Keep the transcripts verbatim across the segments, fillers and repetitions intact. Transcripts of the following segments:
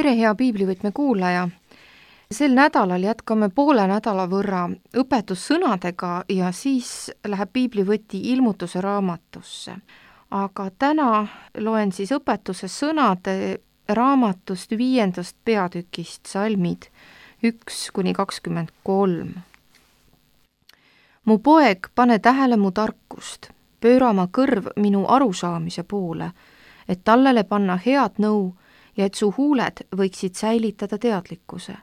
tere, hea piiblivõtme kuulaja! Sel nädalal jätkame poole nädala võrra õpetussõnadega ja siis läheb piiblivõti ilmutuse raamatusse. Aga täna loen siis õpetuse sõnade raamatust viiendast peatükist salmid üks kuni kakskümmend kolm. Mu poeg, pane tähele mu tarkust, pööra oma kõrv minu arusaamise poole, et tallele panna head nõu ja et su huuled võiksid säilitada teadlikkuse.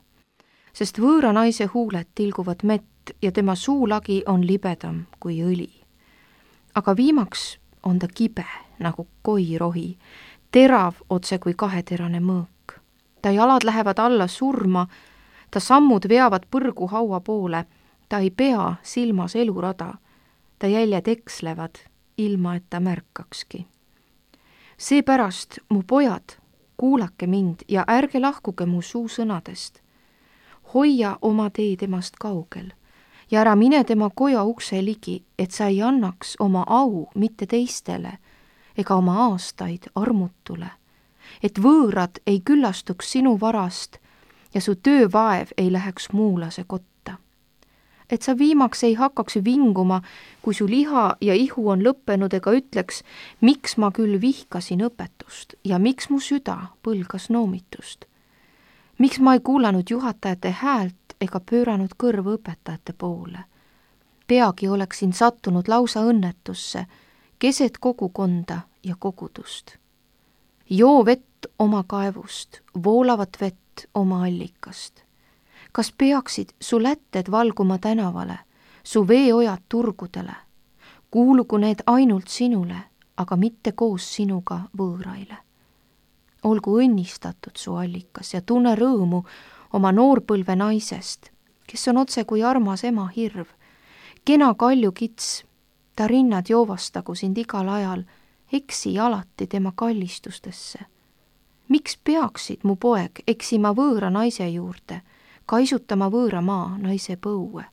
Sest võõra naise huuled tilguvad mett ja tema suulagi on libedam kui õli. Aga viimaks on ta kibe nagu koirohi, terav otse kui kaheterane mõõk. Ta jalad lähevad alla surma, ta sammud veavad põrgu haua poole, ta ei pea silmas elurada, ta jäljed ekslevad, ilma et ta märkakski. Seepärast, mu pojad, kuulake mind ja ärge lahkuge mu suusõnadest. Hoia oma tee temast kaugel ja ära mine tema koja ukse ligi, et sa ei annaks oma au mitte teistele ega oma aastaid armutule, et võõrad ei küllastuks sinu varast ja su töövaev ei läheks muulase kotta. Et sa viimaks ei hakkaks vinguma, kui su liha ja ihu on lõppenud ega ütleks, miks ma küll vihkasin õpetust ja miks mu süda põlgas noomitust. Miks ma ei kuulanud juhatajate häält ega pööranud kõrvu õpetajate poole? Peagi oleksin sattunud lausa õnnetusse, keset kogukonda ja kogudust. Joo vett oma kaevust, voolavat vett oma allikast. Kas peaksid su lätted valguma tänavale, su veeojad turgudele? Kuulugu need ainult sinule, aga mitte koos sinuga võõraile. Olgu õnnistatud su allikas ja tunne rõõmu oma noorpõlve naisest, kes on otse kui armas ema hirv. Kena kalju kits, ta rinnad joovastagu sind igal ajal, eksi alati tema kallistustesse. Miks peaksid, mu poeg, eksima võõra naise juurde, kaisutama võõra maa naise põue?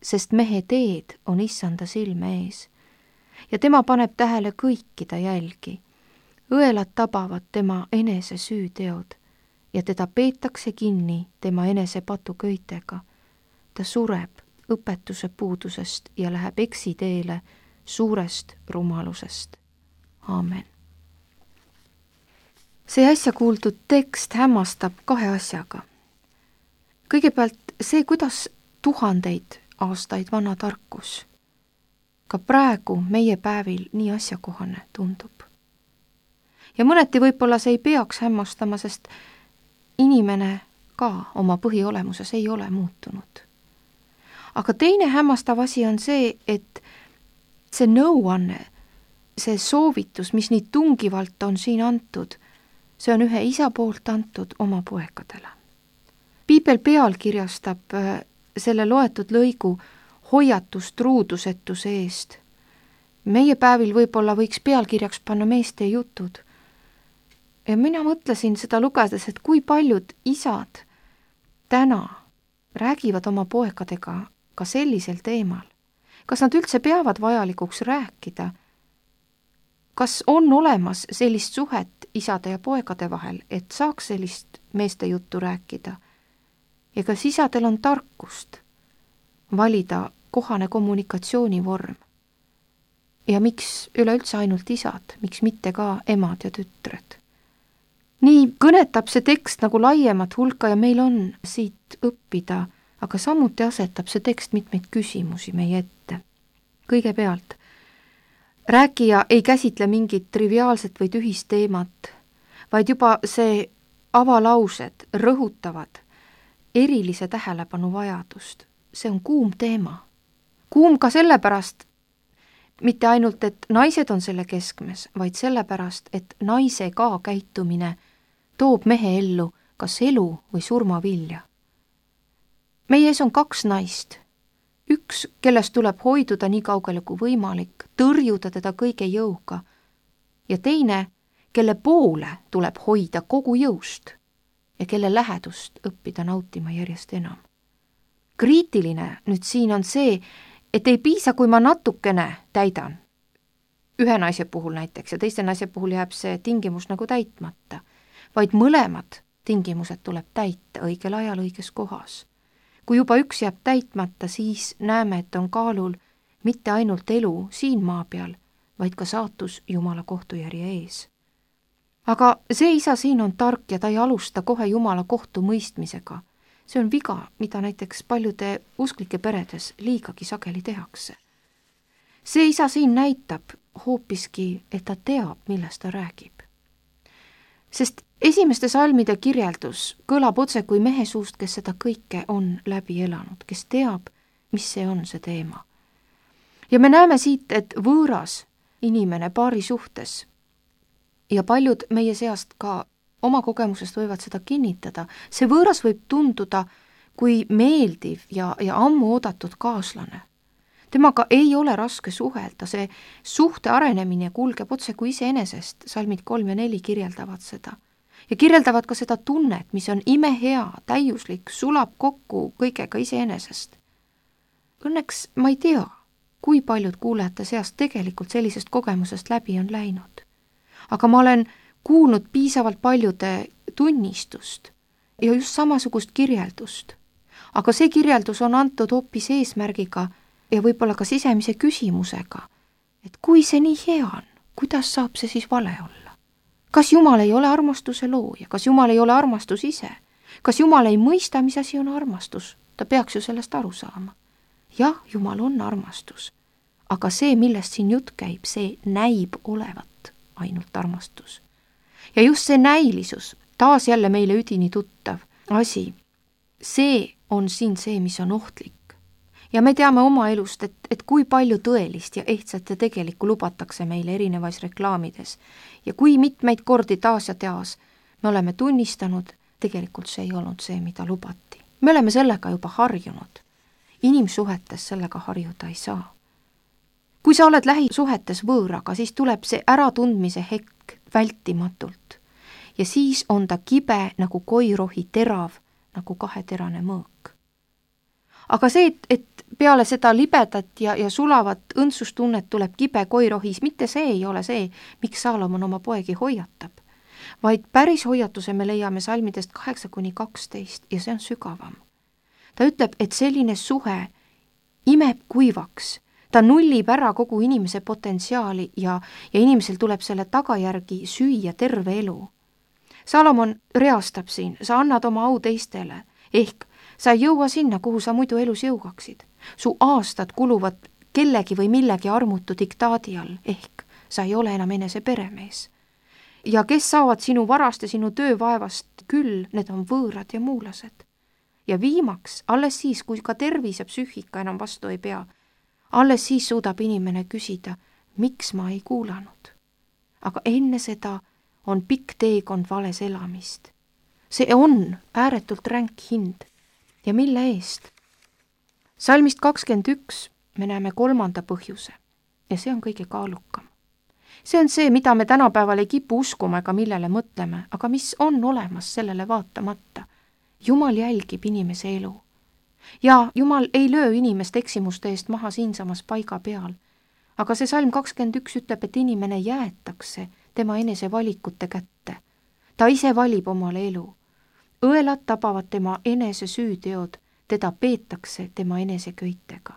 Sest mehe teed on issanda silme ees ja tema paneb tähele kõiki ta jälgi. Õelad tabavad tema enese süüteod ja teda peetakse kinni tema enese patuköitega. Ta sureb õpetuse puudusest ja läheb eksiteele suurest rumalusest. Aamen. See äsja kuuldud tekst hämmastab kahe asjaga. Kõigepealt see, kuidas tuhandeid aastaid vana tarkus ka praegu meie päevil nii asjakohane tundub. Ja mõneti võib-olla see ei peaks hämmastama, sest inimene ka oma põhiolemuses ei ole muutunud. Aga teine hämmastav asi on see, et see nõuanne, see soovitus, mis nii tungivalt on siin antud, see on ühe isa poolt antud oma poegadele. Piibel pealkirjastab selle loetud lõigu hoiatust ruudusetuse eest. Meie päevil võib-olla võiks pealkirjaks panna meeste jutud. Ja mina mõtlesin seda lugedes, et kui paljud isad täna räägivad oma poegadega ka sellisel teemal. Kas nad üldse peavad vajalikuks rääkida? Kas on olemas sellist suhet isade ja poegade vahel, et saaks sellist meeste juttu rääkida? Ja kas isadel on tarkust valida kohane kommunikatsioonivorm? Ja miks üleüldse ainult isad, miks mitte ka emad ja tütred? Nii kõnetab see tekst nagu laiemat hulka ja meil on siit õppida, aga samuti asetab see tekst mitmeid küsimusi meie ette. Kõigepealt, rääkija ei käsitle mingit triviaalset või tühist teemat, vaid juba see avalaused rõhutavad erilise tähelepanu vajadust. See on kuum teema. Kuum ka sellepärast, mitte ainult, et naised on selle keskmes, vaid sellepärast, et naise ka käitumine toob mehe ellu kas elu või surmavilja. Meie ees on kaks naist. Üks, kellest tuleb hoiduda nii kaugele kui võimalik, tõrjuda teda kõige jõuga. Ja teine, kelle poole tuleb hoida kogu jõust ja kelle lähedust õppida nautima järjest enam. Kriitiline nüüd siin on see, et ei piisa, kui ma natukene täidan. Ühe naise puhul näiteks ja teiste naise puhul jääb see tingimus nagu täitmata, vaid mõlemad tingimused tuleb täita õigel ajal õiges kohas. Kui juba üks jääb täitmata, siis näeme, et on kaalul mitte ainult elu siin maa peal, vaid ka saatus Jumala kohtujärje ees. Aga see isa siin on tark ja ta ei alusta kohe Jumala kohtu mõistmisega. See on viga, mida näiteks paljude usklike peredes liigagi sageli tehakse. See isa siin näitab hoopiski, et ta teab, millest ta räägib. Sest esimeste salmide kirjeldus kõlab otse kui mehe suust, kes seda kõike on läbi elanud, kes teab, mis see on see teema. Ja me näeme siit, et võõras inimene paari suhtes ja paljud meie seast ka oma kogemusest võivad seda kinnitada, see võõras võib tunduda kui meeldiv ja, ja ammu oodatud kaaslane. Temaga ei ole raske suhelda, see suhte arenemine kulgeb otse kui iseenesest, salmid kolm ja neli kirjeldavad seda. Ja kirjeldavad ka seda tunnet, mis on imehea, täiuslik, sulab kokku kõigega iseenesest. Õnneks ma ei tea, kui paljud kuulajate seast tegelikult sellisest kogemusest läbi on läinud. Aga ma olen kuulnud piisavalt paljude tunnistust ja just samasugust kirjeldust. Aga see kirjeldus on antud hoopis eesmärgiga ja võib-olla ka sisemise küsimusega, et kui see nii hea on, kuidas saab see siis vale olla? Kas Jumal ei ole armastuse looja? Kas Jumal ei ole armastus ise? Kas Jumal ei mõista, mis asi on armastus? Ta peaks ju sellest aru saama. Jah, Jumal on armastus, aga see, millest siin jutt käib, see näib olevat ainult armastus. Ja just see näilisus, taas jälle meile üdini tuttav asi, see on siin see, mis on ohtlik. Ja me teame oma elust, et, et kui palju tõelist ja ehtsat ja tegelikku lubatakse meile erinevais reklaamides. Ja kui mitmeid kordi taas ja teas me oleme tunnistanud, tegelikult see ei olnud see, mida lubati. Me oleme sellega juba harjunud. Inimsuhetes sellega harjuda ei saa. Kui sa oled lähisuhetes võõraga, siis tuleb see äratundmise hetk vältimatult. Ja siis on ta kibe nagu koirohi, terav nagu kaheterane mõõk. Aga see, et, et peale seda libedat ja, ja sulavat õndsustunnet tuleb kibe koirohis, mitte see ei ole see, miks Saalomon oma poegi hoiatab, vaid päris hoiatuse me leiame salmidest kaheksa kuni kaksteist ja see on sügavam. Ta ütleb, et selline suhe imeb kuivaks, ta nullib ära kogu inimese potentsiaali ja, ja inimesel tuleb selle tagajärgi süüa terve elu. Saalomon reastab siin, sa annad oma au teistele, ehk sa ei jõua sinna, kuhu sa muidu elus jõuaksid. Su aastad kuluvad kellegi või millegi armutu diktaadi all, ehk sa ei ole enam enese peremees. Ja kes saavad sinu varast ja sinu töövaevast küll, need on võõrad ja muulased. Ja viimaks, alles siis, kui ka tervis ja psüühika enam vastu ei pea, alles siis suudab inimene küsida, miks ma ei kuulanud. Aga enne seda on pikk teekond vales elamist. See on ääretult ränk hind. Ja mille eest? Salmist kakskümmend üks me näeme kolmanda põhjuse ja see on kõige kaalukam. See on see, mida me tänapäeval ei kipu uskuma ega millele mõtleme, aga mis on olemas sellele vaatamata. Jumal jälgib inimese elu. Ja Jumal ei löö inimest eksimuste eest maha siinsamas paiga peal. Aga see salm kakskümmend üks ütleb, et inimene jäetakse tema enese valikute kätte. Ta ise valib omale elu. Õelad tabavad tema enese süüteod, teda peetakse tema enese köitega.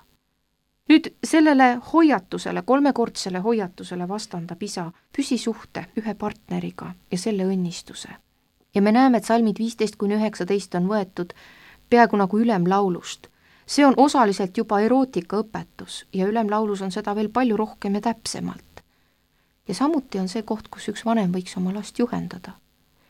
Nüüd sellele hoiatusele, kolmekordsele hoiatusele vastandab isa püsisuhte ühe partneriga ja selle õnnistuse. Ja me näeme, et salmid viisteist kuni üheksateist on võetud peaaegu nagu ülemlaulust. See on osaliselt juba erootikaõpetus ja ülemlaulus on seda veel palju rohkem ja täpsemalt. Ja samuti on see koht, kus üks vanem võiks oma last juhendada.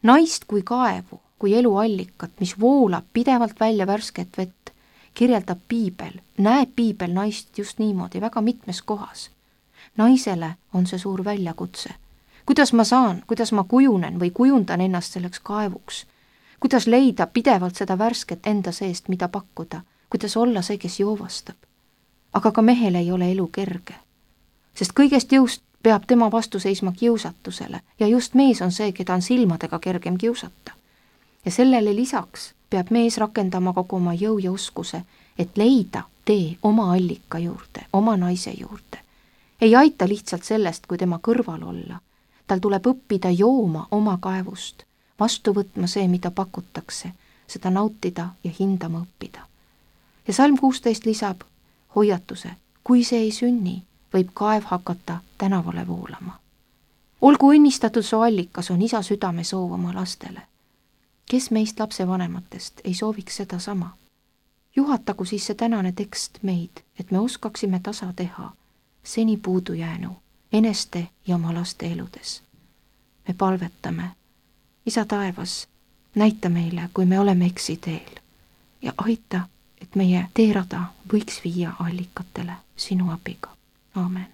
Naist kui kaevu, kui eluallikat, mis voolab pidevalt välja värsket vett, kirjeldab piibel, näeb piibel naist just niimoodi väga mitmes kohas. Naisele on see suur väljakutse. Kuidas ma saan, kuidas ma kujunen või kujundan ennast selleks kaevuks? Kuidas leida pidevalt seda värsket enda seest, mida pakkuda? Kuidas olla see, kes joovastab? Aga ka mehel ei ole elu kerge. Sest kõigest jõust peab tema vastu seisma kiusatusele ja just mees on see, keda on silmadega kergem kiusata. Ja sellele lisaks peab mees rakendama kogu oma jõu ja oskuse, et leida tee oma allika juurde, oma naise juurde. Ei aita lihtsalt sellest, kui tema kõrval olla. Tal tuleb õppida jooma oma kaevust, vastu võtma see, mida pakutakse, seda nautida ja hindama õppida. Ja salm kuusteist lisab hoiatuse, kui see ei sünni, võib kaev hakata tänavale voolama. Olgu õnnistatud su allikas, on isa südame soov oma lastele. Kes meist lapsevanematest ei sooviks seda sama? Juhatagu siis see tänane tekst meid, et me oskaksime tasa teha seni puudujäänu eneste ja oma laste eludes. Me palvetame, isa taevas, näita meile, kui me oleme eksiteel ja aita, et meie teerada võiks viia allikatele sinu abiga. Aamen.